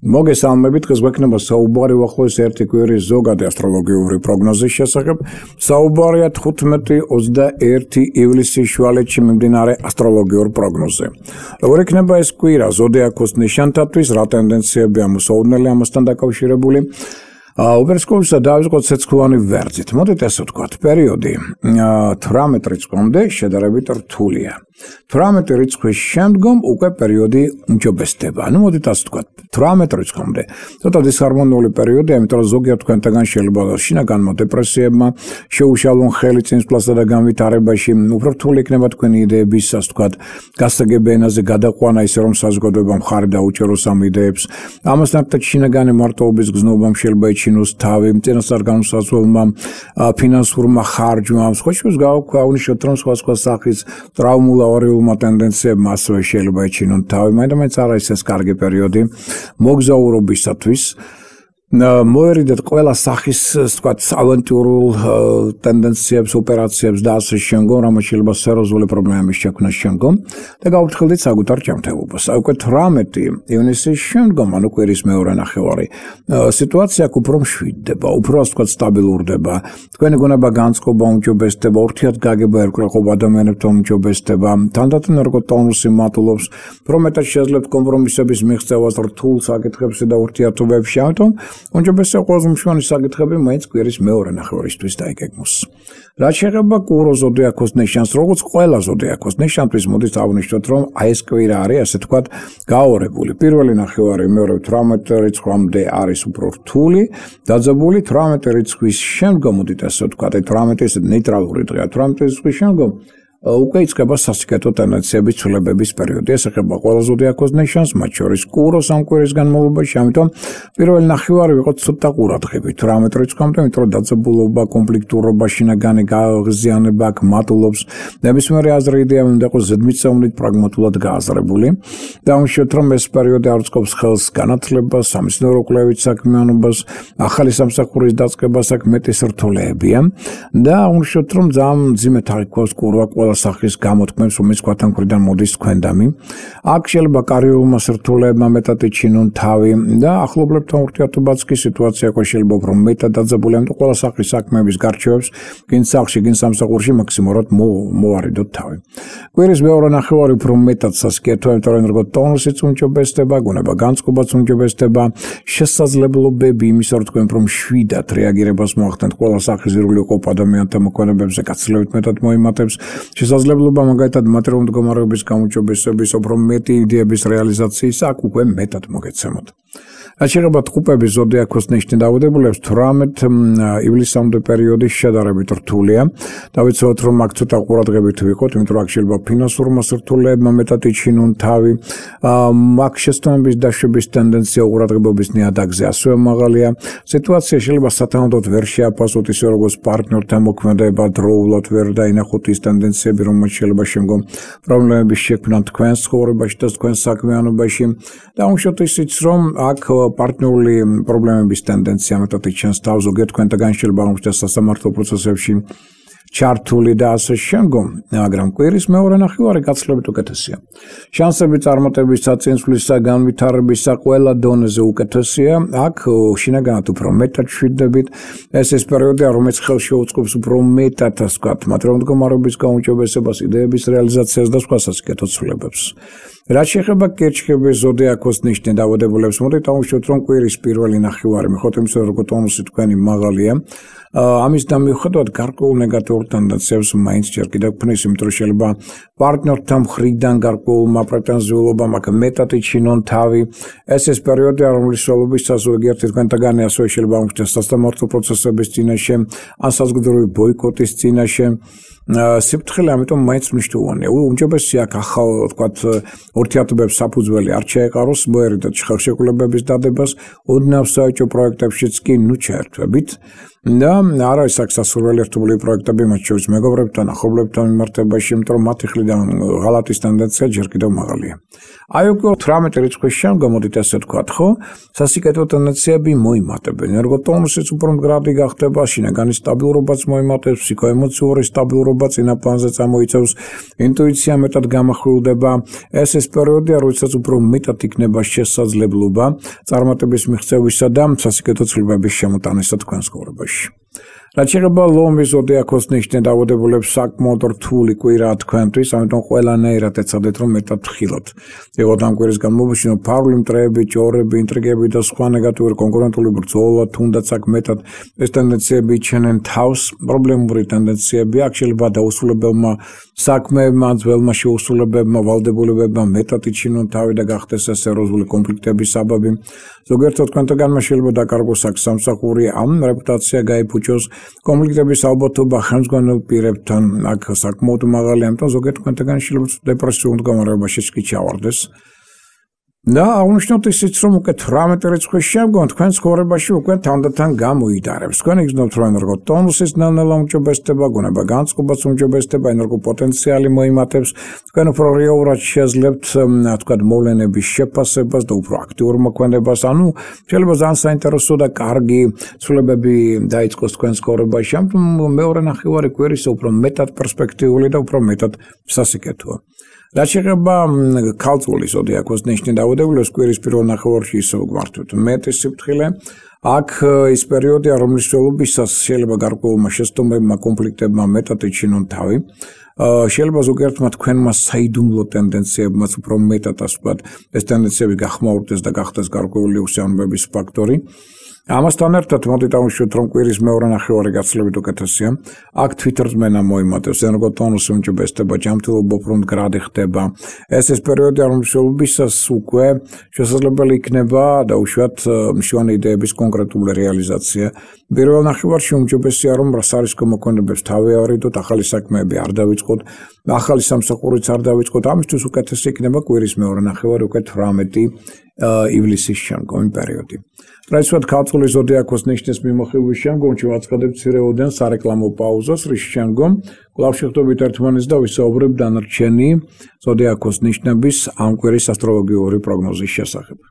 მოგესალმებით, დღეს გვექნება საუბარი უახლოეს ერთი კვირის ზოგადი ასტროლოგიური პროგნოზის შესახებ. საუბარია 15-21 ივლისის შუალედში მიმდინარე ასტროლოგიურ პროგნოზზე. როგორ იქნება ეს კვირა ზოდიაქოს ნიშანთათვის, რა ტენდენციები ამოსაოდნელი ამასთან დაკავშირებული? უპირისპირდად დავიწყოთ ცეცხლოვანი ვერძით. მოდით ასე ვთქვათ, პერიოდი 18 რიცხვამდე შედარებით რთულია. 18 რიცხვის შემდგომ უკვე პერიოდი უმჯობესდება. მოდით ასე ვთქვათ, 18 რიცხვამდე. ცოტა დისჰარმონიული პერიოდია, იმიტომ რომ ზოგიერთ თქვენთაგან შეიძლება შინაგანმა დეპრესიებმა შეუშალონ ხელი წინსვლასა და განვითარებაში, უფრო რთული იქნება თქვენი იდეების, ასე ვთქვათ, გასაგებ ენაზე გადაყვანა, ისე რომ საზოგადოება მხარი დაუჭეროს ამ იდეებს. ამასთან ერთად შინაგანი მარტოობის გზნობამ შეიძლება ჩინოს თავი, წინასწარ განსაზღვრულმა ფინანსურმა ხარჯმა, სხვა გავაუნიშნოთ რომ სხვა სახის ტრაუმულაურიულმა ტენდენციებმა ასევე შეიძლება ეჩინონ თავი, მაინც არა ის კარგი პერიოდი მოგზაურობისათვის. მოერიდეთ ყველა სახის, ვთქვათ, ავანტიურულ ტენდენციებს, ოპერაციებს და ასე შემდგომ, რამაც შეიძლება სერიოზული პრობლემების შექმნას შემდგომ და გავუფრთხილდით საკუთარ ჯანმრთელობას. უკვე 18 ივნისის შემდგომ, ანუ კვირის მეორე ნახევარი, სიტუაცია უფრო მშვიდდება, უფრო ასე ვთქვათ, სტაბილურდება. თქვენი გონება განწყობა უმჯობესდება, ურთიერთგაგება ერკვეყოფ ადამიანებთან უმჯობესდება, თანდათან ერგოტონუსი მატულობს, უფრო მეტად შეძლებთ კომპრომისების მიღწევას რთულ საკითხებში და ურთიერთობებში, ამიტომ უმჯობესია ყველაზე მნიშვნელოვანი საკითხები მაინც კვირის მეორე ნახევარისთვის დაიგეგმოს. რაც შეეხება კურო ზოდიაქოს ნიშანს, როგორც ყველა ზოდიაქოს ნიშანთვის, მოდით ავნიშნოთ, რომ აი ეს კვირა არის, ასე ვთქვათ, გაორებული. პირველი ნახევარი მეორე 18 რიცხვამდე არის უფრო რთული, დაძაბული 18 რიცხვის შემდგომ, მოდით ასე ვთქვათ, 18 ის ნეიტრალური დღეა, 18 რიცხვის შემდგომ უკვე იწყება სასიკეთო ტენდენციების ცვლილებების პერიოდი. ეს ეხება ყველა ზოდიაქოს ნიშანს, მათ შორის კუროს ამ კვირის განმავლობაში, ამიტომ პირველი ნახევარი ვიყოთ ცოტა ყურადღებით 18 რიცხვამდე, იმიტომ რომ დაძაბულობა, კონფლიქტურობა, შინაგანი გაღიზიანება აქ მატულობს. ნებისმიერი აზრი იდეა უნდა იყოს ზედმიწევნით პრაგმატულად გააზრებული. დავუშვათ, რომ ეს პერიოდი არწყობს ხელს განათლებას, სამეცნიერო კვლევით საქმიანობას, ახალი სამსახურის დაწყებას, აქ მეტი სრთულეებია და დავუშვათ, რომ ძალიან მძიმე თარიღობს კურვა სახის გამოთქმებს, რომელიც თქვათ მხრიდან მოდის თქვენდამი. აქ შეიძლება კარიერულმა სრთულეებმა მეტად ეჩინონ თავი და ახლობლებთან ურთიერთობაც კი სიტუაცია უკვე შეიძლება უფრო მეტად დაძაბული, ამიტომ ყველა სახის საქმეების გარჩევებს გინ სახლში, გინ სამსახურში მაქსიმალურად მოვარიდოთ თავი. კვირის მეორე ნახევარი უფრო მეტად სასიკეთოა, იმიტომ რომ ერგოტონუსიც უმჯობესდება, გონება განწყობაც უმჯობესდება, შესაძლებლობები იმისა, რომ თქვენ უფრო მშვიდად რეაგირებას მოახდენთ ყველა სახის ზირული ყოფ ადამიანთა მოქმედებებზე გაცილებით მეტად მოიმატებს. შესაძლებლობა მაგალითად მატერიალური მდგომარეობის გამოჯობესების, უფრო მეტი იდეების რეალიზაციის აქ უკვე მეტად მოგეცემოთ. რაც შეეხება ტყუპების ზოდიაქოს ნიშნის დაავადებულებს, 18 ივლისამდე პერიოდი შედარებით რთულია. დავიცავთ, რომ აქ ცოტა ყურადღებით ვიყოთ, იმიტომ რომ აქ შეიძლება ფინანსურმა სრთულეებმა მეტად იჩინონ თავი. აქ შეცდომების დაშვების ტენდენცია ყურადღებობის ნიადაგზე ასევე მაღალია. სიტუაცია შეიძლება სათანადოდ ვერ შეაფასოთ, ისე როგორც პარტნიორთან მოქმედება დროულად ვერ დაინახოთ ის ტენდენციები, რომელიც შეიძლება შემდგომ პრობლემების შექმნა თქვენს ცხოვრებაში და თქვენს საქმიანობაში. დავუშვათ ისიც, რომ აქ პარტნიორული პრობლემების ტენდენცია მეტად იჩენს თავს, ზოგიერთ თქვენთაგან შეიძლება აღმოჩნდეს სასამართლო პროცესებში ჩართული და ასე შემდგომ, მაგრამ კვირის მეორე ნახევარი გაცილებით უკეთესია. შანსები წარმატების საწინსვლისა, განვითარებისა ყველა დონეზე უკეთესია. აქ შინაგანად უფრო მეტად მშვიდებით. ეს პერიოდია, რომელიც ხელს შეუწყობს უფრო მეტად, ასე ვთქვათ, მატერიალური მდგომარეობის გაუმჯობესებას, იდეების რეალიზაციას და სხვა სასიკეთო ცვლილებებს. რაც შეეხება კერჩხების ზოდიაქოს ნიშნის დაავადებულებს, მოდით დავუშვათ, რომ კვირის პირველი ნახევარი, მიუხედავად იმისა, რომ ერგოტონუსი თქვენი მაღალია, ამის დამიუხედავად გარკვეულ ნეგატიურ ტენდენციებს მაინც ჯერ კიდევ ქმნის, იმიტომ რომ შეიძლება პარტნიორთან მხრიდან გარკვეულმა პრეტენზიულობამ აქ მეტად იჩინონ თავი. ეს პერიოდია, რომლის სრულობისას ზოგიერთი თქვენთაგანი ასევე შეიძლება აღმოჩნდეს სასამართლო პროცესების წინაშე, ან საზოგადოებრივი ბოიკოტის წინაშე. სიფრთხილე ამიტომ მაინც მნიშვნელოვანია. უმჯობესია აქ ახალ, ვთქვათ, ურთიერთობებს საფუძველი არ შეეყაროს, მოერიდეთ ხელშეკრულებების დადებას, ოდნავ საეჭვო პროექტებშიც კი ჩაერთვებით. და არ არის აქ სასურველი ერთობლივი პროექტები მათ შორის მეგობრებთან, ახლობლებთან მიმართებაში, იმიტომ რომ მათი მხრიდან ღალატის ტენდენცია ჯერ კიდევ მაღალია. აი უკვე 18 რიცხვის შემდგომ, მოდით ასე ვთქვათ, ხო? სასიკეთო ტენდენციები მოიმატებენ. ენერგოტონუსიც უფრო მდგრადი გახდება, შინაგანი სტაბილურობაც მოიმატებს, ფსიქოემოციური სტაბილურობა წინა პლანზე წამოიწევს, ინტუიცია მეტად გამახვილდება. ეს პერიოდია, როდესაც უფრო მეტად იქნება შესაძლებლობა წარმატების მიღწევისა და სასიკეთო ცვლილებების შემოტანისა თქვენს ცხოვრებაში. რაც შეეხება ლომის ზოდიაქოს ნიშნით დაავადებულებს საკმაოდ რთული კვირაა თქვენთვის, ამიტომ ყველანაირად ეცადეთ რომ მეტად ხილოთ. იღოთ ამ კვირის განმავლობაში ფარული მტრეები, ჭორები, ინტრიგები და სხვა ნეგატიური კონკურენტული ბრძოლა, თუნდაც აქ მეტად ეს ტენდენციები იჩენენ თავს, პრობლემური ტენდენციები აქ შეიძლება დაუსრულებელმა საქმეებმა, ძველმა შეუსრულებებმა, ვალდებულებებმა მეტად იჩინონ თავი და გახდეს ეს სერიოზული კონფლიქტების საბაბი. ზოგიერთად თქვენთაგანმა შეიძლება დაკარგოს აქ სამსახური, ამ რეპუტაცია გაიფუჭოს. კონფლიქტების ალბათობა ხელმძღვანელ პირებთან აქ საკმაოდ მაღალია, ამიტომ ზოგიერთ თქვენთაგან შეიძლება დეპრესიულ მდგომარეობაში კი ჩავარდეს. და აღნიშნოთ ისიც, რომ უკვე 18 რიცხვის შემდგომ თქვენ ცხოვრებაში უკვე თანდათან გამოიდარებს. თქვენ იგრძნობთ, რომ ენერგოტონუსის ნელ-ნელა უმჯობესდება, გონება განწყობაც უმჯობესდება, ენერგოპოტენციალი მოიმატებს, თქვენ უფრო რეალურად შეძლებთ, თქვათ, მოვლენების შეფასებას და უფრო აქტიურ მოქმედებას, ანუ შეიძლება ძალიან საინტერესო და კარგი ცვლილებები დაიწყოს თქვენ ცხოვრებაში, ამიტომ მეორე ნახევარი კვირის უფრო მეტად პერსპექტიული და უფრო მეტად სასიკეთოა. რაც შეეხება ქალწულის ზოდიაქოს ნიშნით დაავადებულებს კვირის პირველ ნახევარში ისევ გვართვით მეტი სიფრთხილე. აქ ის პერიოდია, რომლის მსვლელობისას შეიძლება გარკვეულმა შეცდომებმა, კონფლიქტებმა მეტად იჩინონ თავი. შეიძლება ზოგიერთმა თქვენმა საიდუმლო ტენდენციებმაც უფრო მეტად, ასე ვთქვათ, ეს ტენდენციები გახმაურდეს და გახდეს გარკვეული უსიამოვნების ფაქტორი. ამასთან ერთად მოდით ავუშვით, რომ კვირის მეორე ნახევარი გაცილებით უკეთესია. აქ თვითრწმენა მოიმატებს, ენერგოტონუსი უმჯობესდება, ჯანმრთელობა უფრო მდგრადი ხდება. ეს პერიოდია, რომლისთვისაც უკვე შესაძლებელი იქნება დაუშვათ მშვენი იდეების კონკრეტული რეალიზაცია. პირველ ნახევარში უმჯობესია, რომ რასარისკო მოქმედებებს თავი ავარიდოთ, ახალი საქმეები არ დავიწყოთ, ახალი სამსახურიც არ დავიწყოთ. ამისთვის უკეთესი იქნება კვირის მეორე ნახევარი უკვე 18 ივლისის შემდგომი პერიოდი. რაც ვთქვათ, ქალწულის ზოდიაქოს ნიშნის მიმოხილვის შემდგომ ვაცხადებთ მცირეოდენ სარეკლამო პაუზას, რის შემდგომ კვლავ შევხვდებით ერთმანეთს და ვისაუბრებთ დანარჩენი ზოდიაქოს ნიშნების ამ კვირის ასტროლოგიური პროგნოზის შესახებ.